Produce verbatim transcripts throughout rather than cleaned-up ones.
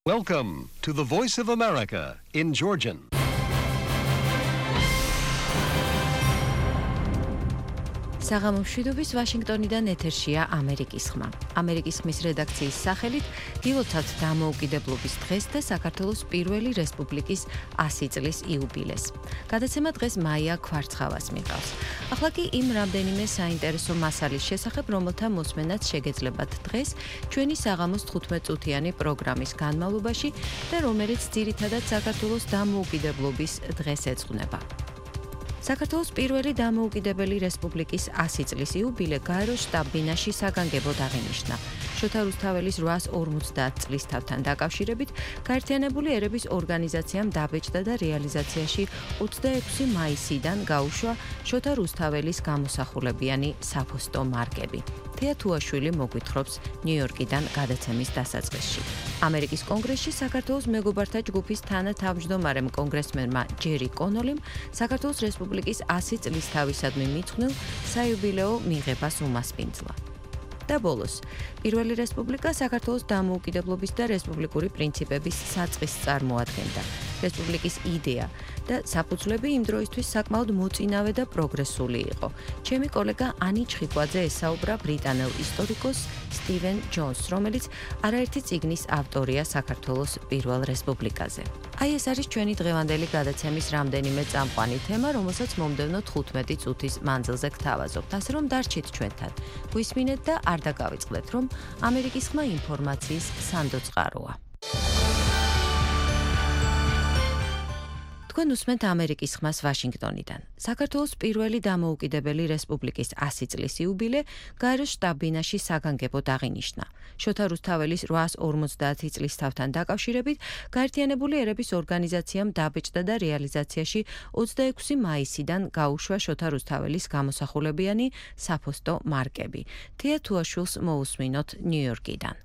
Welcome to the Voice of America in Georgian. საღამომშვიდობის ვაშინგტონიდან ეთერშია ამერიკის ხმა. ამერიკის ხმის რედაქციის სახელით დილოცავთ დამოუკიდებლობის დღეს და საქართველოს პირველი რესპუბლიკის ასი წლის იუბილეს. გადაცემა დღეს მაია ქვარცხავას მიყავს. ახლა კი იმ რამდენიმე საინტერესო მასალის შესახებ, რომელთა მოსმენაც შეგეძლებათ დღეს ჩვენი საღამოს თხუთმეტ-წუთიანი პროგრამის განმავლობაში და რომელიც ძირითადად საქართველოს დამოუკიდებლობის დღეს ეძღვნება. საქართველოს პირველი დამოუკიდებელი რესპუბლიკის ასი წლის იუბილე გაეროს შტაბ-ბინაში საგანგებოდ აღინიშნა. შოთა რუსთაველის რვაას ორმოცდაათ წლისთავთან დაკავშირებით გაერთიანებული ერების ორგანიზაციამ დაბეჭდა და რეალიზაციაში ოცდაექვსი მაისიდან გაუშვა შოთა რუსთაველის გამოსახულებიანი საფოსტო მარკები. თეა თუაშვილი მოგვითხრობს ნიუ-იორკიდან გადაცემის დასაწყისში. ამერიკის კონგრესში საქართველოს მეგობართა ჯგუფის თანათავმჯდომარემ კონგრესმენმა ჯერი კონოლიმ საქართველოს რესპუბლიკის ასი წლისთავისადმი მიძღვნილ საიუბილეო მიღებას უმასპინძლა. და ბოლოს, პირველი რესპუბლიკა საქართველოს დამოუკიდებლობის და რესპუბლიკური პრინციპების საწყისს წარმოადგენდა. რესპუბლიკის იდეა და საფუძვლები იმ დროისთვის საკმაოდ მოწინავე და პროგრესული იყო. ჩემი კოლეგა ანი ჩხიკვაძე ესაუბრა ბრიტანელ ისტორიკოს სტივენ ჯონსს, რომელიც არაერთი წიგნის ავტორია საქართველოს პირველ რესპუბლიკაზე. აი ეს არის ჩვენი დღევანდელი გადაცემის რამდენიმე წამყვანი თემა, რომელსაც მომდევნო თხუთმეტი წუთის მანძილზე გთავაზობთ, ასე რომ დარჩით ჩვენთან. გვისმინეთ და არ დაგავიწყდეთ, რომ ამერიკის ხმა ინფორმაციის სანდო წყაროა. თქვენ უსმენთ ამერიკის ხმას ვაშინგტონიდან. საქართველოს პირველი დამოუკიდებელი რესპუბლიკის ასი წლის იუბილე გაეროს შტაბ-ბინაში საგანგებოდ აღინიშნა. შოთა რუსთაველის რვაას ორმოცდაათი წლისთავთან დაკავშირებით გაერთიანებული ერების ორგანიზაციამ დაბეჭდა და რეალიზაციაში ოცდაექვსი მაისიდან გაუშვა შოთა რუსთაველის გამოსახულებიანი საფოსტო მარკები. თეა თუაშვილს მოусმინოთ ნიუ-იორკიდან.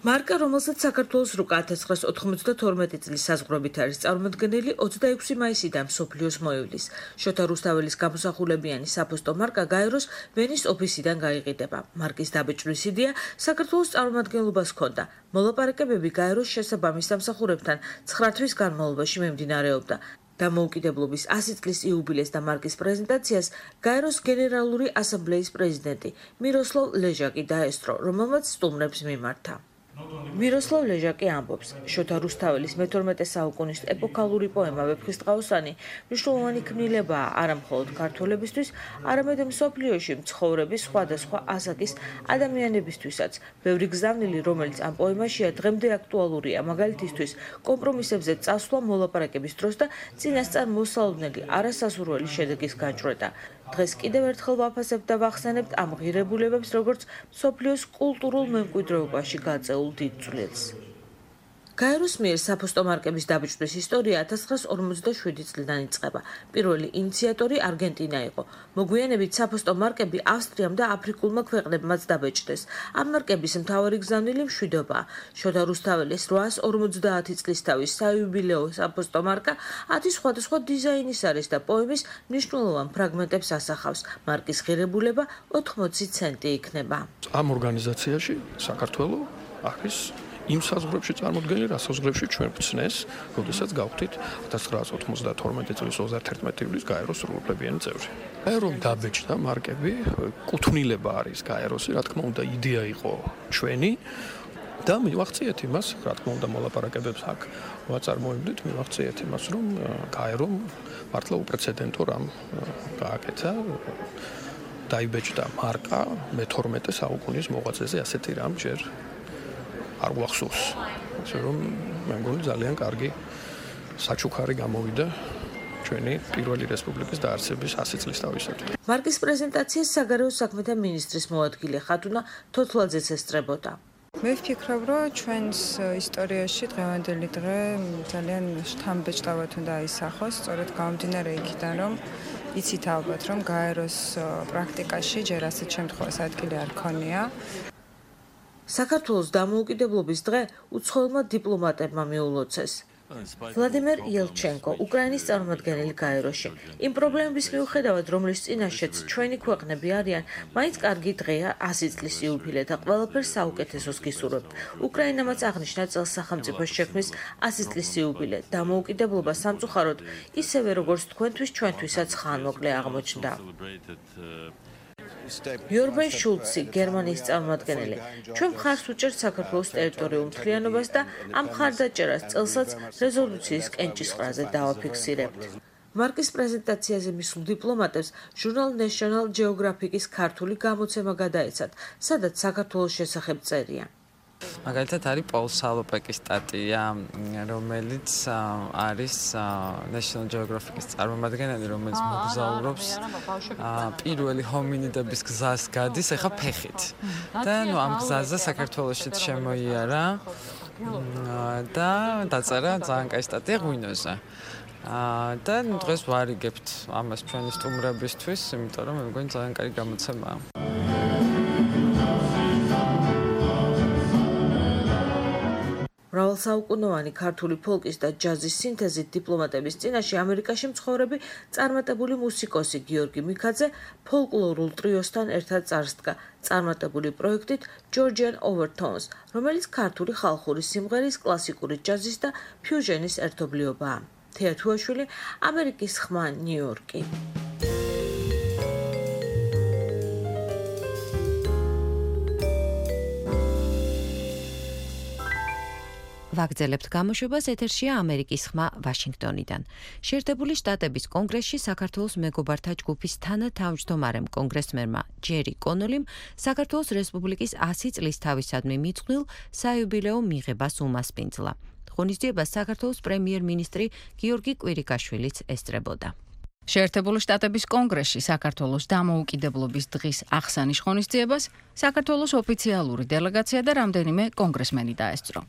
მარკა, რომელსაც საქართველოს რუკა ათას ცხრაას ოთხმოცდათორმეტი წლის საზღვრებით არის წარმოდგენილი, ოცდაექვსი მაისიდან მსოფლიოს მოივლის. შოთა რუსთაველის გამოსახულებიანი საფოსტო მარკა გაეროს ვენის ოფისიდან გაიყიდება. მარკის დაბეჭდვის იდეა საქართველოს წარმომადგენლობას ჰქონდა. მოლაპარაკებები გაეროს შესაბამის სამსახურებთან ცხრა თვის განმავლობაში მიმდინარეობდა. დამოუკიდებლობის ასი წლის იუბილეს და მარკის პრეზენტაციას გაეროს გენერალური ასამბლეის პრეზიდენტი მიროსლავ ლეჟაკი დაესწრო, რომელმაც სტუმრებს მიმართა. მიროსლავ ლეჟაკი ამბობს, შოთა რუსთაველის მეთორმეტე საუკუნის ეპოქალური პოემა „ვეფხისტყაოსანი“ მნიშვნელოვანი ქმნილებაა არა მხოლოდ ქართველებისთვის, არამედ მსოფლიოში მცხოვრები სხვადასხვა ასაკის ადამიანებისთვისაც. ბევრი გზავნილი, რომელიც ამ პოემაშია, დღემდე აქტუალურია, მაგალითისთვის კომპრომისებზე წასვლა მოლაპარაკების დროს და წინასწარ მოსალოდნელი არასასურველი შედეგის გაჭრედა. დღეს კიდევ ერთხელ ვაფასებთ და ვახსენებთ ამ ღირებულებებს, როგორც მსოფლიოს კულტურულ მემკვიდრეობაში გაწეულ დიდ წვლილს. გაეროს მიერ საფოსტო მარკების დაბეჭდვის ისტორია ათას ცხრაას ორმოცდაშვიდი წლიდან იწყება. პირველი ინიციატორი არგენტინა იყო. მოგვიანებით საფოსტო მარკები ავსტრიამ და აფრიკულმა ქვეყნებმაც დაბეჭდეს. ამ მარკების მთავარი გზავნილი მშვიდობაა. შოთა რუსთაველის რვაას ორმოცდაათი წლისთავის საიუბილეო საფოსტო მარკა ათი სხვადასხვა დიზაინის არის და პოემის მნიშვნელოვან ფრაგმენტებს ასახავს. მარკის ღირებულება ოთხმოცი ცენტი იქნება. ამ ორგანიზაციაში საქართველო არის იმ საზღვრებში წარმოდგენილი, რა საზღვრებში ჩვენ ვცნეს, როდესაც გავხდით ათას ცხრაას ოცდათორმეტი წლის ოცდაათერთმეტი ივლის გაეროს სრულუფლებიანი წევრი. გაერომ დაბეჭდა მარკები, კუთვნილება არის გაეროსი, რა თქმა უნდა, იდეა იყო ჩვენი და მივახციეთ იმას, რა თქმა უნდა, მოლაპარაკებებს აქ ვაწარმოებდით, მივახციეთ იმას, რომ გაერომ მართლა უპრეცედენტო რამ გააკეთა. დაიბეჭდა მარკა მეთორმეტე საუკუნის მოღვაწეზე, ასეთი რამ ჯერ არ გვახსოვს. ასე რომ მე მგონი ძალიან კარგი საჩუქარი გამოვიდა ჩვენი პირველი რესპუბლიკის დაარსების ასი წლისთავისათვის. მარკის პრეზენტაციას საგარეო საქმეთა მინისტრის მოადგილე ხათუნა თოთლაძეც ესწრებოდა. მე ვფიქრობ, რომ ჩვენს ისტორიაში დღევანდელი დღე ძალიან შთამბეჭდავად უნდა აისახოს, სწორედ გამომდინარე იქიდან, რომ იცით ალბათ, რომ გაეროს პრაქტიკაში ჯერ ასეთ შემთხვევას ადგილი არ ქონია. საქართველოს დამოუკიდებლობის დღე უცხოელმა დიპლომატებმა მიულოცეს. ვლადიმერ იელჩენკო, უკრაინის წარმომადგენელი გაეროში. იმ პრობლემების მიუხედავად, რომლის წინაშეც ჩვენი ქვეყნები არიან, მაინც კარგი დღეა ასი წლის იუბილე და ყველაფერს საუკეთესოს გისურვებთ. უკრაინამაც აღნიშნა წელს სახელმწიფოს შექმნის ასი წლის იუბილე. დამოუკიდებლობა სამწუხაროდ, ისევე როგორც თქვენთვის, ჩვენთვისაც ხანმოკლე აღმოჩნდა. იორბენ შულცი, გერმანიის წარმომადგენელი. ჩვენ მხარს ვუჭერთ საქართველოს ტერიტორიულ მთლიანობას და ამ მხარდაჭერას წელსაც რეზოლუციის კენჭისყრაზე დავაფიქსირებთ. მარკის პრეზენტაციაზე მისულ დიპლომატებს ჟურნალ National Geographic-ის ქართული გამოცემა გადაეცათ, სადაც საქართველოს შესახებ წერია. მაგალითად არის პოლ სალოპეკის სტატია, რომელიც არის National Geographic-ის წარმომადგენელი, რომელიც მოგზაურობს პირველი ჰომინიდების გზას გადის ახლა ფეხით. და ნუ ამ გზაზე საქართველოშიც შემოიარა და დაწერა ძალიან კაი სტატია ღვინოზე. და ნუ დღეს ვარიგებთ ამას ჩვენი სტუმრებისთვის, იმიტომ რომ მე მგონი ძალიან კაი გამოცემაა. მრავალსაუკუნოვანი ქართული ფოლკის და ჯაზის სინთეზით დიპლომატების წინაშე ამერიკაში მცხოვრები წარმატებული მუსიკოსი გიორგი მიქაძე ფოლკლორულ ტრიოსთან ერთად წარსდგა წარმატებული პროექტით Georgian Overtones, რომელიც ქართული ხალხური სიმღერის, კლასიკური ჯაზის და ფიუჟენის ერთობლიობაა. თეა თუაშვილი, ამერიკის ხმა, ნიუ-იორკი. ვაგრძელებთ გამოშვებას, ეთერშია ამერიკის ხმა ვაშინგტონიდან. შეერთებული შტატების კონგრესში საქართველოს მეგობართა ჯგუფის თანათავმჯდომარემ კონგრესმენმა ჯერი კონოლიმ საქართველოს რესპუბლიკის ასი წლის თავისადმი მიძღვნილ საიუბილეო მიღებას უმასპინძლა. ღონისძიებას საქართველოს პრემიერ-მინისტრი გიორგი კვირიკაშვილიც ესწრებოდა. შეერთებული შტატების კონგრესში საქართველოს დამოუკიდებლობის დღის აღსანიშ ღონისძიებას საქართველოს ოფიციალური დელეგაცია და რამდენიმე კონგრესმენი დაესწრო.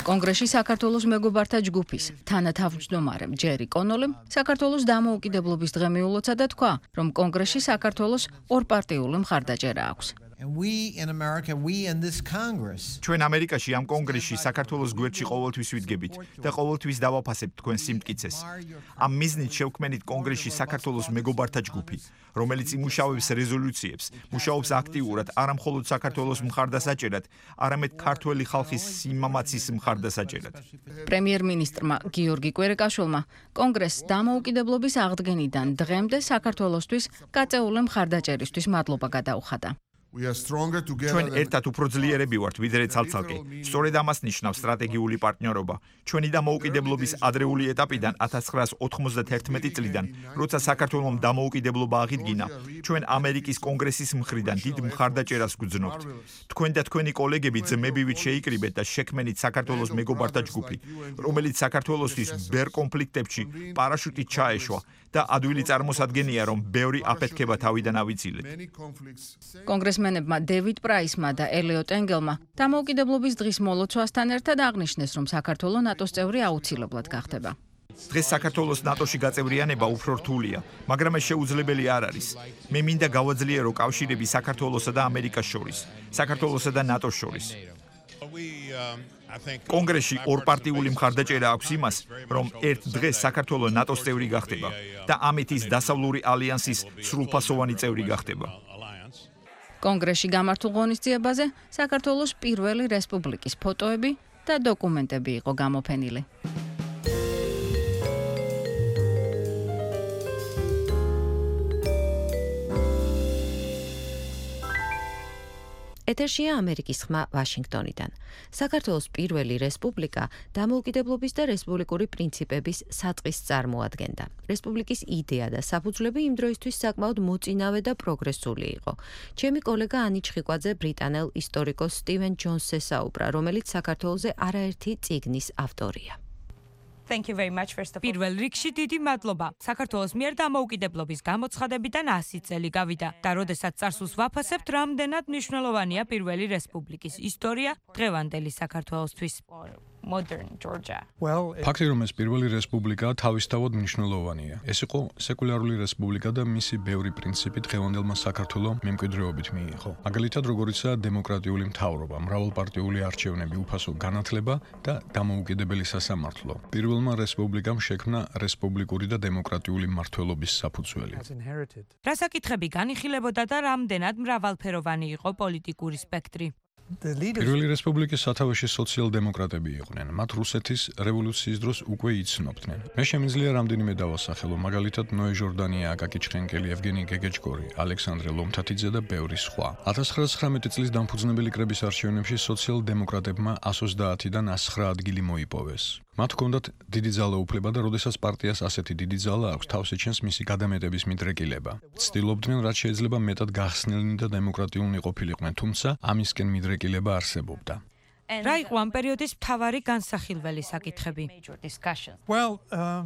კონგრესში საქართველოს მეგობართა ჯგუფის თანათავმჯდომარემ ჯერი კონოლიმ საქართველოს დამოუკიდებლობის დღე მიულოცა და თქვა, რომ კონგრესში საქართველოს ორპარტიული მხარდაჭერა აქვს. And we in America, we in this Congress. ჩვენ ამერიკაში ამ კონგრესში საქართველოს გვერდში ყოველთვის ვიდგებით და ყოველთვის დავაფასებთ თქვენ სიმტკიცეს. ამ მიზნით შევქმნით კონგრესში საქართველოს მეგობართა ჯგუფი, რომელიც იმუშავებს რეზოლუციებს, მუშაობს აქტიურად არა მხოლოდ საქართველოს მხარდასაჭერად, არამედ ქართველი ხალხის სიმამაცის მხარდასაჭერად. პრემიერ-მინისტრმა გიორგი კვირიკაშვილმა კონგრესს დამოუკიდებლობის აღდგენიდან დღემდე საქართველოსთვის გაწეული მხარდაჭერისთვის მადლობა გადაუხადა. ჩვენ ერთად უფრო ძლიერები ვართ, ვიდრე ცალ-ცალკე. სწორედ ამას ნიშნავს სტრატეგიული პარტნიორობა. ჩვენი დამოუკიდებლობის ადრეული ეტაპიდან ათას ცხრაას ოთხმოცდათერთმეტი წლიდან, როცა საქართველოს დამოუკიდებლობა აღიდგინა, ჩვენ ამერიკის კონგრესის მხრიდან დიდ მხარდაჭერას გვგზნობთ. თქვენ და თქვენი კოლეგები ძმებივით შეიკრიბეთ და შექმნით საქართველოს მეგობართა ჯგუფი, რომელიც საქართველოსთვის ბერ კონფლიქტებში პარაშუტით ჩაეშვა და ადვილი წარმოსადგენია, რომ ბევრი აფეთქება თავიდან ავიცილეთ. კონგრესმენებმა დევიდ პრაისმა და ელიოტ ენგელმა დამოუკიდებლობის დღის მოლოცვასთან ერთად აღნიშნეს, რომ საქართველოს ნატოს წევრი აუცილებლად გახდება. დღეს საქართველოს ნატოში გაწევრიანება უფრო რთულია, მაგრამ ეს შეუძლებელი არ არის. მე მინდა გავაძლიერო კავშირები საქართველოსა და ამერიკას შორის, საქართველოსა და ნატოს შორის. კონგრესში ორპარტიული მხარდაჭერა აქვს იმას, რომ ერთ დღეს საქართველოს ნატოს წევრი გახდება და ამით ის დასავლური ალიანსის სრულფასოვანი წევრი გახდება. კონგრესში გამართულ ღონისძიებაზე საქართველოს პირველი რესპუბლიკის ფოტოები და დოკუმენტები იყო გამოფენილი. ეთერშია ამერიკის ხმა ვაშინგტონიდან. საქართველოს პირველი რესპუბლიკა დამოუკიდებლობის და რესპუბლიკური პრინციპების საწყისს წარმოადგენდა. რესპუბლიკის იდეა და საფუძვლები იმ დროისთვის საკმაოდ მოწინავე და პროგრესული იყო. ჩემი კოლეგა ანი ჩხიკვაძე ბრიტანელ ისტორიკოს სტივენ ჯონსს ესაუბრა, რომელიც საქართველოზე არაერთი წიგნის ავტორია. Thank you very much first of all. პირველ რიგში დიდი მადლობა. საქართველოს მიერ დამოუკიდებლობის გამოცხადებიდან ასი წელი გავიდა და როდესაც წარსულს ვაფასებთ, რამდენად მნიშვნელოვანია პირველი რესპუბლიკის ისტორია დღევანდელი საქართველოსთვის. modern Georgia. ფაქტი რომ ეს პირველი რესპუბლიკაა თავისთავად მნიშვნელოვანია. ეს იყო სეკულარული რესპუბლიკა და მისი ბევრი პრინციპი დღევანდელმა საქართველოს მემკვიდრეობით მიიღო. მაგალითად, როგორიცაა დემოკრატიული მთავრობა, მრავალპარტიული არჩევნები, უფასო განათლება და დამოუკიდებელი სასამართლო. პირველმა რესპუბლიკამ შექმნა რესპუბლიკური და დემოკრატიული მმართველობის საფუძველი. რა საკითხები განიხილებოდა და რამდენად მრავალფეროვანი იყო პოლიტიკური სპექტრი? პირველი რესპუბლიკის სათავეში სოციალ-დემოკრატები იყვნენ. მათ რუსეთის რევოლუციის დროს უკვე იცნობდნენ. მე შემიძლია რამდენიმე დავასახელო, მაგალითად ნოე ჟორდანია, აკაკი ჩხენკელი, ევგენი გეგეჭკორი, ალექსანდრე ლომთათიძე და ბევრი სხვა. ათას ცხრაასოცდაათი წლის დამფუძნებელი კრების არჩევნებში სოციალ-დემოკრატებმა εκατს ოცდაათიდან εκατს ცხრა ადგილი მოიპოვეს. მათ ჰქონდათ დიდი ძალაუფლება და როდესაც პარტიას ასეთი დიდი ძალა აქვს, თავს ეჩენს მისი გადამეტების მიდრეკილება. ცდილობდნენ, რაც შეიძლება მეტად გახსნილნი და დემოკრატიულნი ყოფილიყვნენ, თუმცა ამისკენ მიდრეკილება არსებობდა. რა იყო ამ პერიოდის მთავარი განსახილველი საკითხები?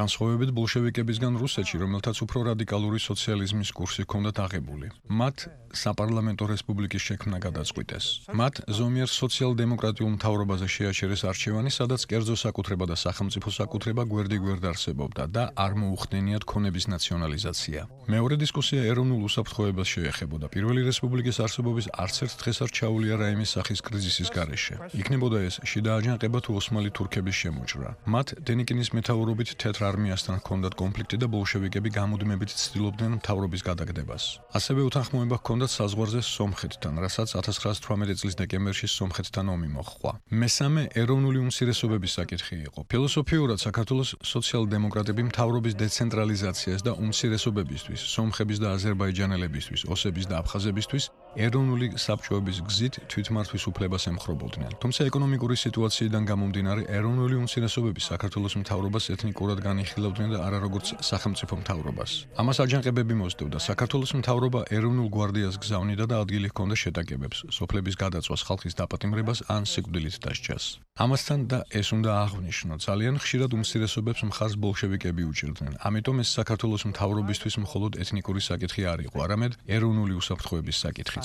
განსხვავებით ბოლშევიკებისგან რუსეთში, რომელთაც უფრო რადიკალური სოციალიზმის კურსი ჰქონდათ აღებული. მათ საპარლამენტო რესპუბლიკის შექმნა გადაწყვიტეს. მათ ზომიერ სოციალ-დემოკრატიულ მთავრობაზე შეაჩერეს არჩევანი, სადაც კერძო საკუთრება და სახელმწიფო საკუთრება გვერდიგვერდ არსებობდა და არ მოუხდენიათ ქონების ნაციონალიზაცია. მეორე დისკუსია ეროვნულ უსაფრთხოებას შეეხებოდა. პირველი რესპუბლიკის არსებობის არც ერთ დღეს არ ჩაუვლია რაიმე სახის კრიზისის გარეშე. იქნებოდა ეს შიდა აჯანყება თუ ოსმალი თურქების შემოჭრა. მათ დენიკინის მეთაურობით თეთრ არმიასთან ჰქონდათ კონფლიქტი და ბოლშევიკები გამუდმებით ცდილობდნენ მთავრობის გადაგდებას. ასევე უთანხმოება ჰქონდათ საზღვარზე სომხეთთან, რასაც ათას ცხრაასოთხმოცდაათი წლის დეკემბერში სომხეთთან ომი მოჰყვა. მესამე ეროვნული უმცირესობების საკითხი იყო. ფილოსოფიურად საქართველოს სოციალ-დემოკრატები მთავრობის დეცენტრალიზაციას და უმცირესობებისთვის, სომხების და აზერბაიჯანელებისთვის, ოსების და აფხაზებისთვის ეროვნული საბჭოების გზით თვითმართვის უფლებას ემხრობოდნენ. თუმცა ეკონომიკური სიტუაციიდან გამომდინარე, ეროვნული უმცირესობები საქართველოს მთავრობას ეთნიკურად განიხილავდნენ და არა როგორც სახელმწიფო მთავრობას. ამას აჯანყებები მოსდევდა. საქართველოს მთავრობა ეროვნულ გვარდიას გზავნიდა და ადგილი ჰქონდა შეტაკებებს, სოფლების გადაწვას, ხალხის დაპატიმრებას ან სიკვდილით დასჯას. ამასთან და ეს უნდა აღვნიშნო, ძალიან ხშირად უმცირესობებს მხარს ბოლშევიკები უჭერდნენ. ამიტომ ეს საქართველოს მთავრობისთვის მხოლოდ ეთნიკური საკითხი არ იყო, არამედ ეროვნული უსაფრთხოების საკითხიც.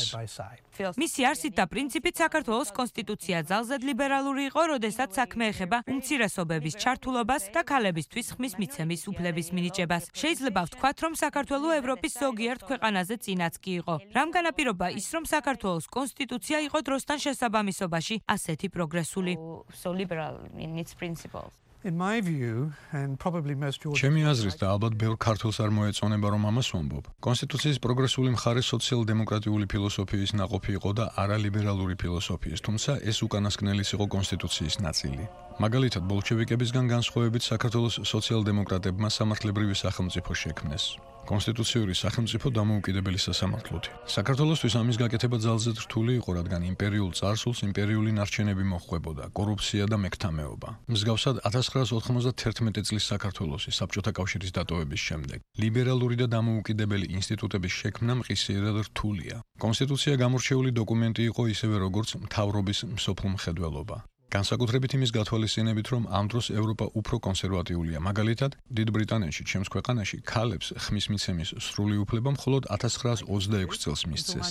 მისი არსით და პრინციპით საქართველოს კონსტიტუცია ძალზედ ლიბერალური იყო, როდესაც საქმე ეხება უმცირესობების ჩართულობას და ქალებისთვის ხმის მიცემის უფლების მინიჭებას. შეიძლება ვთქვათ, რომ საქართველო ევროპის ზოგიერთ ქვეყანაზე წინაც კი იყო. რამ განაპირობა ის, რომ საქართველოს კონსტიტუცია იყო დროსთან შესაბამისობაში ასეთი პროგრესული? ჩემი აზრით და ალბათ ბევრ ქართველს არ მოეწონება რომ ამას ვამბობ. კონსტიტუციის პროგრესული მხარე სოციალ-დემოკრატიული ფილოსოფიის ნაყოფი იყო და არა ლიბერალური ფილოსოფიის, თუმცა ეს უკანასკნელიც იყო კონსტიტუციის ნაწილი. მაგალითად, ბოლშევიკებისგან განსხვავებით საქართველოს სოციალ-დემოკრატებმა სამართლებრივი სახელმწიფო შექმნეს. კონსტიტუციური სახელმწიფო დამოუკიდებელი სასამართლოთი. საქართველოსთვის ამის გაკეთება ძალზედ რთული იყო, რადგან იმპერიულ წარსულს იმპერიული ნარჩენები მოჰყვებოდა, კორუფცია და მექთამეობა. მსგავსად ათას ცხრაასოთხმოცდათერთმეტი წლის საქართველოსი საბჭოთა კავშირის დატოვების შემდეგ ლიბერალური და დამოუკიდებელი ინსტიტუტების შექმნა მყისიერად რთულია. კონსტიტუცია გამორჩეული დოკუმენტი იყო ისევე როგორც მთავრობის მსოფლმხედველობა. განსაკუთრებით იმის გათვალისწინებით, რომ ამ დროს ევროპა უფრო კონსერვატიულია. მაგალითად, დიდ ბრიტანეთში, ჩემს ქვეყანაში, ქალებს ხმის მიცემის სრული უფლება მხოლოდ ათას ცხრაასოცდაექვსი წელს მისცეს.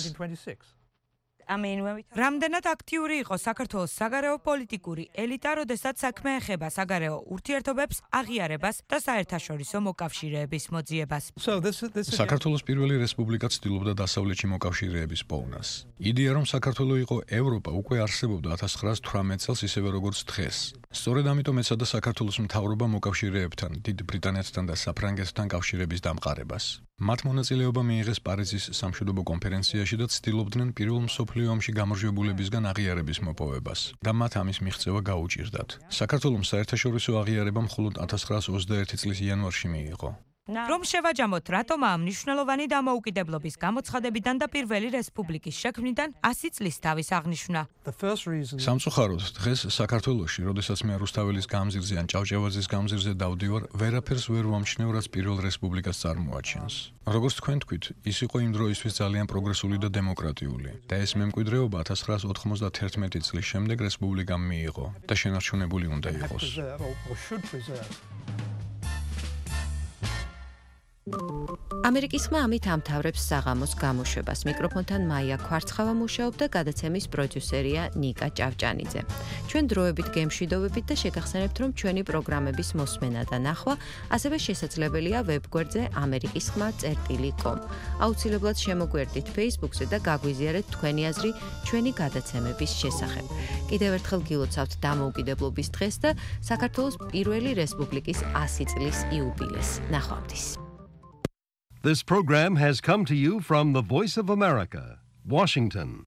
რამდენად აქტიური იყო საქართველოს საგარეო პოლიტიკური ელიტა, როდესაც საქმე ეხება საგარეო ურთიერთობებს, აღიარებას და საერთაშორისო მოკავშირეების მოძიებას. საქართველოს პირველი რესპუბლიკა ცდილობდა დასავლეთში მოკავშირეების პოვნას. იდეა, რომ საქართველო იყო ევროპა, უკვე არსებობდა ათას ცხრაასოთხმოცდაოთხ წელს ისევე როგორც დღეს. სწორედ ამიტომ ეცადა საქართველოს მთავრობა მოკავშირეებთან, დიდ ბრიტანეთთან და საფრანგეთთან კავშირების დამყარებას. მათ მონაწილეობა მიიღეს პარიზის სამშვიდობო კონფერენციაში და ცდილობდნენ პირველ მსოფლიო ომში გამარჯვებულებისგან აღიარების მოპოვებას და მათ ამის მიღწევა გაუჭირდათ. საქართველოს საერთაშორისო აღიარება მხოლოდ ათას ცხრაასოცდაერთი წლის იანვარში მიიღო. რომ შევაჯამოთ, რატომ ამ მნიშვნელოვანი დამოუკიდებლობის გამოცხადებიდან და პირველი რესპუბლიკის შექმნიდან ასი წლის თავის აღნიშვნა. სამწუხაროდ, დღეს საქართველოში, როდესაც მე რუსთაველის გამზირზე ან ჭავჭავაძის გამზირზე დავდივარ, ვერაფერს ვერ ვამჩნევ, რაც პირველ რესპუბლიკას წარმოაჩენს. როგორც თქვენ თქვით, ის იყო იმ დროისთვის ძალიან პროგრესული და დემოკრატიული და ეს მემკვიდრეობა ათას ცხრაასოთხმოცდათერთმეტი წლის შემდეგ რესპუბლიკამ მიიღო და შენარჩუნებული უნდა იყოს. ამერიკის ხმა ამით ამთავრებს საღამოს გამოშვებას. მიკროფონთან მაია ქვარცხავა მუშაობდა, გადაცემის პროდიუსერია ნიკა ჭავჭანიძე. ჩვენ დროებით გემშვიდობებით და შეგახსენებთ, რომ ჩვენი პროგრამების მოსმენა და ნახვა ასევე შესაძლებელია ვებგვერდზე ამერიკის ხმა წერტილი კომ. აუცილებლად შემოგვერდით Facebook-ზე და გაგვიზიარეთ თქვენი აზრი ჩვენი გადაცემების შესახებ. კიდევ ერთხელ გილოცავთ დამოუკიდებლობის დღეს და საქართველოს პირველი რესპუბლიკის ასი წლის იუბილეს. ნახვამდის. This program has come to you from the Voice of America, Washington.